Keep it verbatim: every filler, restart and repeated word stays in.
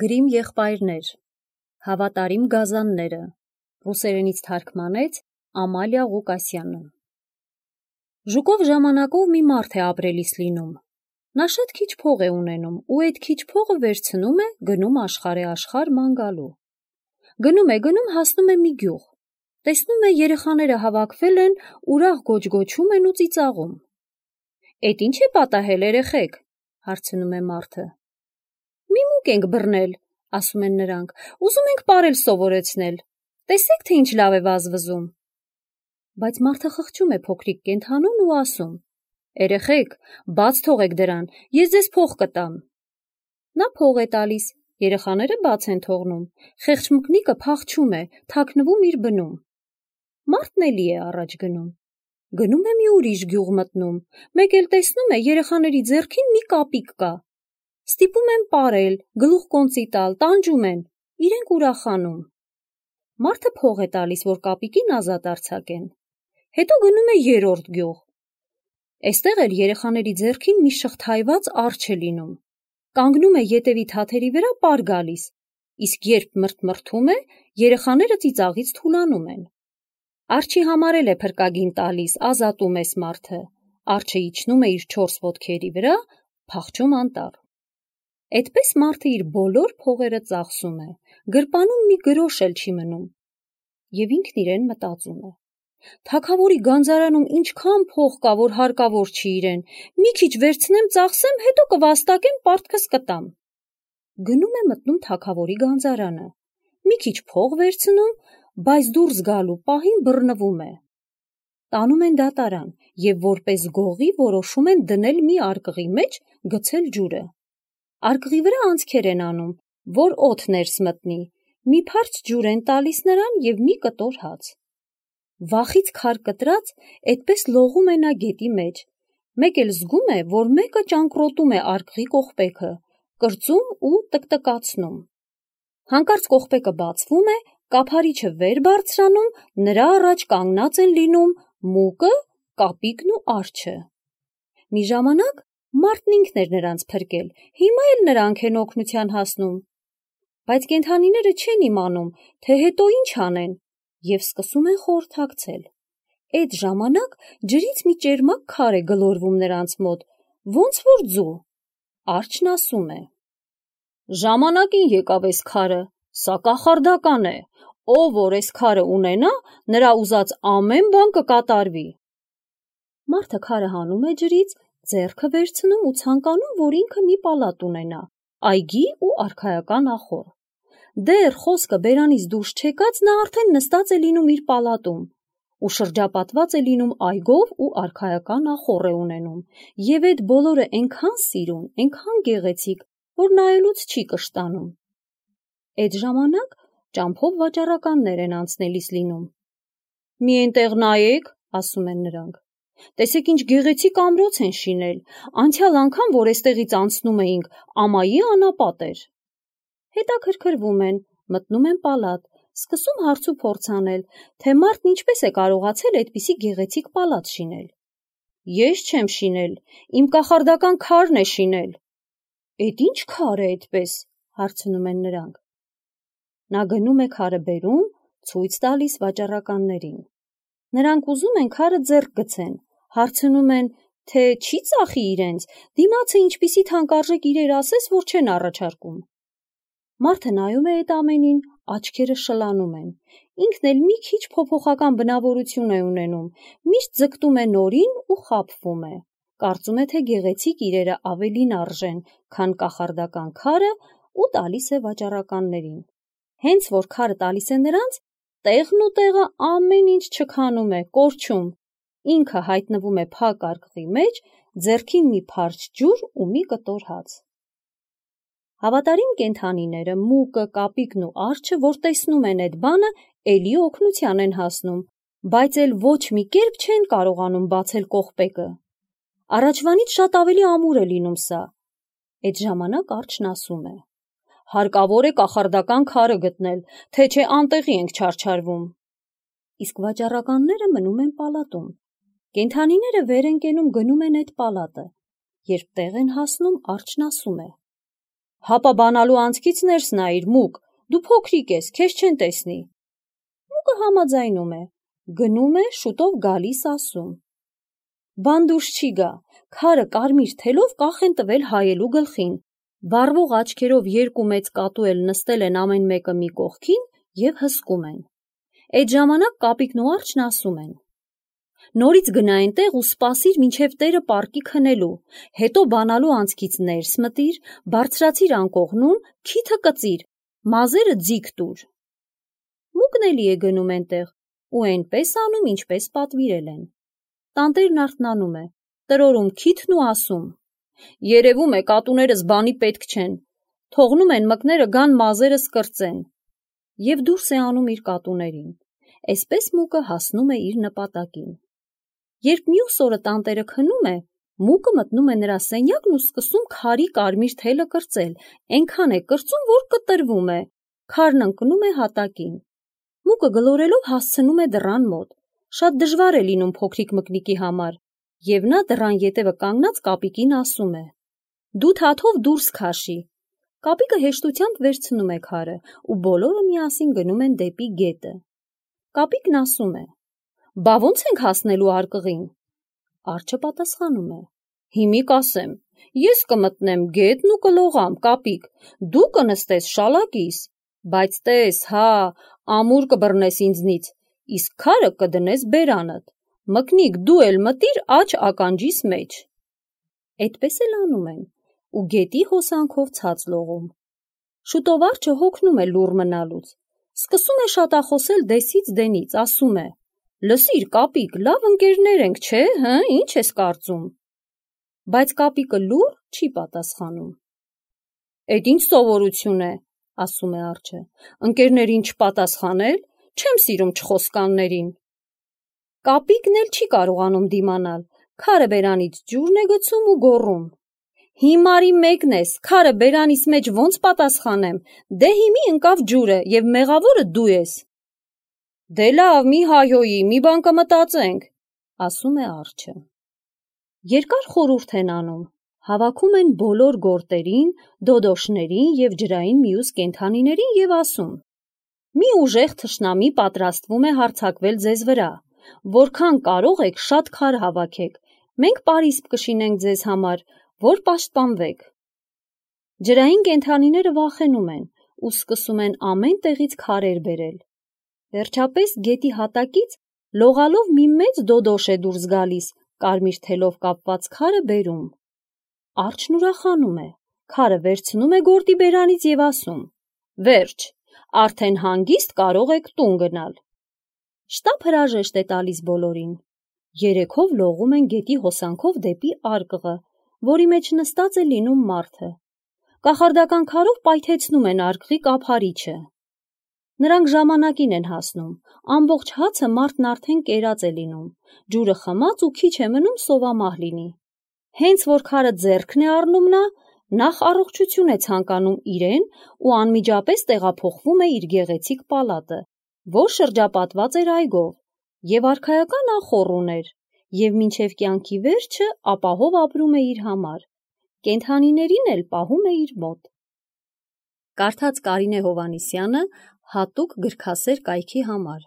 Գրիմ եղբայրներ, հավատարիմ գազանները, ռուսերենից թարգմանեց Ամալիա Ղուկասյանը։ Ժուկով ժամանակով մի մարդ է ապրելիս լինում։ Նա շատ քիչ փող է ունենում ու այդ քիչ փողը վերցնում է, գնում աշխարհ է աշխարհ ման գալու։ Գնում է, գնում հասնում է մի գյուղ։ Տեսնում է երեխաները հավաքվել են, ուրախ գոչգոչում են ու ծիծաղում։ Էդ ինչ է պատահել երեխեք, հարցնում է մարդը։ Մի մուկ ենք բռնել, ասում են նրանք, ուզում ենք պարել սովորեցնել, տեսեք, թե ինչ լավ է վազվզում։ Բայց մարդը խղճում է փոքրիկ կենդանուն ու ասում. Երեխեք, բաց թողեք դրան, ես ձեզ փող կտամ։ Նա փող է տալիս, երեխաները բաց են թողնում, խեղճ մկնիկը փախչում է, թաքնվում իր բնում։ Մարդն էլի է առաջ գնում։ Գնում է մի ուրիշ գյուղ մտնում, մեկ էլ տեսնում է երեխաների ձեռքին մի կապիկ կա։ Ստիպում են պարել, գլուխ կոնծի տալ, տանջում են, իրենք ուրախանում։ Մարդը փող է տալիս, որ կապիկին ազատ արձակեն։ Հետո գնում է երրորդ գյուղ։ Էստեղ էլ երեխաների ձեռքին մի շղթայված արջ է լինում։ Կանգնում է ետևի թաթերի վրա պար գալիս, իսկ երբ մրթմրթում է, երեխաները ծիծաղից թուլանում են։ Արջի համար էլ է փրկագին տալիս, ազատում էս մարդը։ Արջը իջնում է իր չորս ոտքերի վրա, փախչում անտառ։ Այդպես մարդը իր բոլոր փողերը ծախսում է, գրպանում մի գրոշ էլ չի մնում։ Եվ ինքն իրեն մտածում է. Թագավորի գանձարանում ինչքան փող կա, որ հարկավոր չի իրեն, մի քիչ վերցնեմ, ծախսեմ, հետո կվաստակեմ, պարտքս կտամ։ Գնում է մտնում թագավորի գանձարանը, մի քիչ փող վերցնում, բայց դուրս գալու պահին բռնվում է։ Տանում են դատարան և որպես գողի որոշում են դնել մի արկղի մեջ, գցել ջուրը։ Արկղի վրա անցքեր են անում, որ օդ ներս մտնի, մի փարչ ջուր են տալիս նրան և մի կտոր հաց։ Վախից քար կտրած, այդպես լողում է նա գետի մեջ, մեկ էլ զգում է, որ մեկը ճանկռոտում է արկղի կողպեքը, կրծում ու տկտկացնում։ Հանկարծ կողպեքը բացվում է, կափարիչը վեր բարձրանում, նրա առաջ կանգնած են լինում մուկը, կապիկն ու արջը։ Մի ժամանակ մարդն ինքն էր նրանց փրկել, հիմա էլ նրանք են օգնության հասնում։ Բայց կենդանիները չեն իմանում, թե հետո ինչ անեն, և սկսում են խորհրդակցել։ Այդ ժամանակ ջրից մի ճերմակ քար է գլորվում նրանց մոտ, ոնց որ ձու։ Արջն ասում է. Ժամանակին եկավ էս քարը, սա կախարդական է, ով որ էս քարը ունենա, նրա ուզած ամեն բան կկատարվի։ Մարդը քարը հանում է ջրից, ձեռքը վերցնում ու ցանկանում, որ ինքը մի պալատ ունենա, այգի ու արքայական ախոռ։ Դեռ խոսքը բերանից դուրս չեկած նա արդեն նստած է լինում իր պալատում ու շրջապատված է լինում այգով ու արքայական ախոռ է ունենում, և այդ բոլորը այնքան սիրուն, այնքան գեղեցիկ, որ նայելուց չի կշտանում։ Այդ ժամանակ ճամփով վաճառականներ են անցնելիս լինում։ Մի էնտեղ նայեք, ասում են նրանք, տեսեք ինչ գեղեցիկ ամրոց են շինել, անցյալ անգամ, որ էստեղից անցնում էինք, ամայի անապատ էր։ Հետաքրքրվում են, մտնում են պալատ, սկսում հարց ու փորձ անել, թե մարդն ինչպես է կարողացել այդպիսի գեղեցիկ պալատ շինել։ Ես չեմ շինել, իմ կախարդական քարն է շինել։ Էդ ինչ քար է այդպես, հարցնում են նրանք։ Նա գնում է քարը բերում, ցույց տալիս վաճառականներին։ Նրանք ուզում են քարը ձեռք գցեն, հարցնում են, թե չի ծախի իրենց, դիմացը ինչպիսի թանկարժեք իրեր ասես, որ չեն առաջարկում։ Մարդը նայում է այդ ամենին, աչքերը շլանում են, ինքն էլ մի քիչ փոփոխական բնավորություն է ունենում, միշտ ձգտում է նորին ու խաբվում է, կարծում է, թե գեղեցիկ իրերը ավելին արժեն, քան կախարդական քարը ու տալիս է վաճառականներին։ Հենց որ քարը տալիս է նրանց, տեղն ու տեղը ամեն ինչ չքանում է, կորչում, ինքը հայտնվում է փակ արկղի մեջ, ձեռքին մի փարչ ջուր ու մի կտոր հաց։ Հավատարիմ կենդանիները, մուկը, կապիկն ու արջը, որ տեսնում են այդ բանը, էլի օգնության են հասնում, բայց էլ ոչ մի կերպ չեն կարողանում բացել կողպեքը։ Առաջվանից շատ ավելի ամուր է լինում սա։ Այդ ժամանակ արջն ասում է. հարկավոր է կախարդական քարը գտնել, թե չէ անտեղի ենք չարչարվում։ Իսկ վաճառականները մնում են պալատում։ Կենդանիները վեր են կենում, գնում են այդ պալատը։ Երբ տեղ են հասնում, արջն ասում է. Հապա բանալու անցքից ներս նայիր, Մուկ, դու փոքրիկ ես, քեզ չեն տեսնի։ Մուկը համաձայնում է, գնում է, շուտով գալիս ասում. Բան դուրս չի գա, քարը կարմիր թելով կախ են տվել հայելու գլխին, վառվող աչքերով երկու մեծ կատու էլ նստել են ամեն մեկը մի կողքին և հսկում են։ Այդ ժամանակ Կապիկն ու Արջն ասում են. Նորից գնա այնտեղ ու սպասիր մինչև տերը պառկի քնելու, հետո բանալու անցքից ներս մտիր, բարձրացիր անկողնուն, քիթը կծիր, մազերը ձիգ տուր։ Մուկն էլի է գնում այնտեղ ու այնպես անում, ինչպես պատվիրել են։ Տանտերն արթնանում է, տրորում քիթն ու ասում. Երևում է կատուներս բանի պետք չեն, թողնում են մկները գան մազերս կրծեն։ Եվ դուրս է անում իր կատուներին։ Այսպես Մուկը հասնում է իր նպատակին։ Երբ մյուս օրը տանտերը քնում է, Մուկը մտնում է նրա սենյակն ու սկսում քարի կարմիր թելը կրծել, այնքան է կրծում, որ կտրվում է, քարն ընկնում է հատակին։ Մուկը գլորելով հասցնում է դռան մոտ։ Շատ դժվար է լինում փոքրիկ մկնիկի համար, և նա դռան ետևը կանգնած Կապիկին ասում է. Դու թաթով դուրս քաշի։ Կապիկը հեշտությամբ վերցնում է քարը ու բոլորը միասին գնում են դեպի գետը։ Կապիկն ասում է. Բա ո՞նց ենք հասնելու արկղին։ Արջը պատասխանում է. Հիմի կասեմ, ես կմտնեմ գետն ու կլողամ, Կապիկ, դու կնստես շալակիս, բայց տես, հա, ամուր կբռնես ինձնից, իսկ քարը կդնես բերանդ, մկնիկ դու էլ մտիր աջ ականջիս մեջ։ Այդպես էլ անում են ու գետի հոսանքով ցած լողում։ Շուտով Արջը հոգնում է լուռ մնալուց, սկսում է շատախոսել դեսից դենից, ասում է. Լսիր, Կապիկ, լավ ընկերներ ենք, չէ, հը, ինչ ես կարծում։ Բայց Կապիկը լուռ չի պատասխանում։ Էդ ինչ սովորություն է, ասում է Արջը, ընկերներին չպատասխանել, չեմ սիրում չխոսկաններին։ Կապիկն էլ չի կարողանում դիմանալ, քարը բերանից ջուրն է գցում ու գոռում. Հիմարի մեկն ես, քարը բերանիս մեջ ոնց պատասխանեմ, դե հիմի ընկավ ջուրը և մեղավորը դու ես։ Դե լավ, մի հայհոյի, մի բան կմտածենք, ասում է Արջը։ Երկար խորհուրդ են անում, հավաքում են բոլոր գորտերին, դոդոշներին և ջրային մյուս կենդանիներին և ասում. Մի ուժեղ թշնամի պատրաստվում է հարձակվել ձեզ վրա, որքան կարող եք շատ քար հավաքեք, մենք պարիսպ կշինենք ձեզ համար, որ պաշտպանվեք։ Ջրային կենդանիները վախենում են ու սկսում են ամեն տեղից քարեր բերել։ Վերջապես գետի հատակից լողալով մի մեծ դոդոշ է դուրս գալիս, կարմիր թելով կապված քարը բերում։ Արջն ուրախանում է, քարը վերցնում է գորտի բերանից և ասում. Վերջ, արդեն հանգիստ կարող եք տուն գնալ։ Շտապ հրաժեշտ է տալիս բոլորին։ Երեքով լողում են գետի հոսանքով դեպի արկղը, որի մեջ նստած է լինում մարդը։ Կախարդական քարով պայթեցնում են արկղի կափարիչը։ Նրանք ժամանակին են հասնում, ամբողջ հացը մարդն արդեն կերած է լինում, ջուրը խմած ու քիչ է մնում սովամահ լինի։ Հենց որ քարը ձեռքն է առնում նա, նախ առողջություն է ցանկանում իրեն ու անմիջապես տեղափոխվում է իր գեղեցիկ պալատը, որ շրջապատված էր այգով, և արքայական ախոռ ուներ, և մինչև կյանքի վերջը ապահով ապրում է իր համար, կենդանիներին էլ պահում է իր մոտ։ Կարդաց Կարինե Հովհաննիսյանը հատուկ գրքասեր կայքի համար։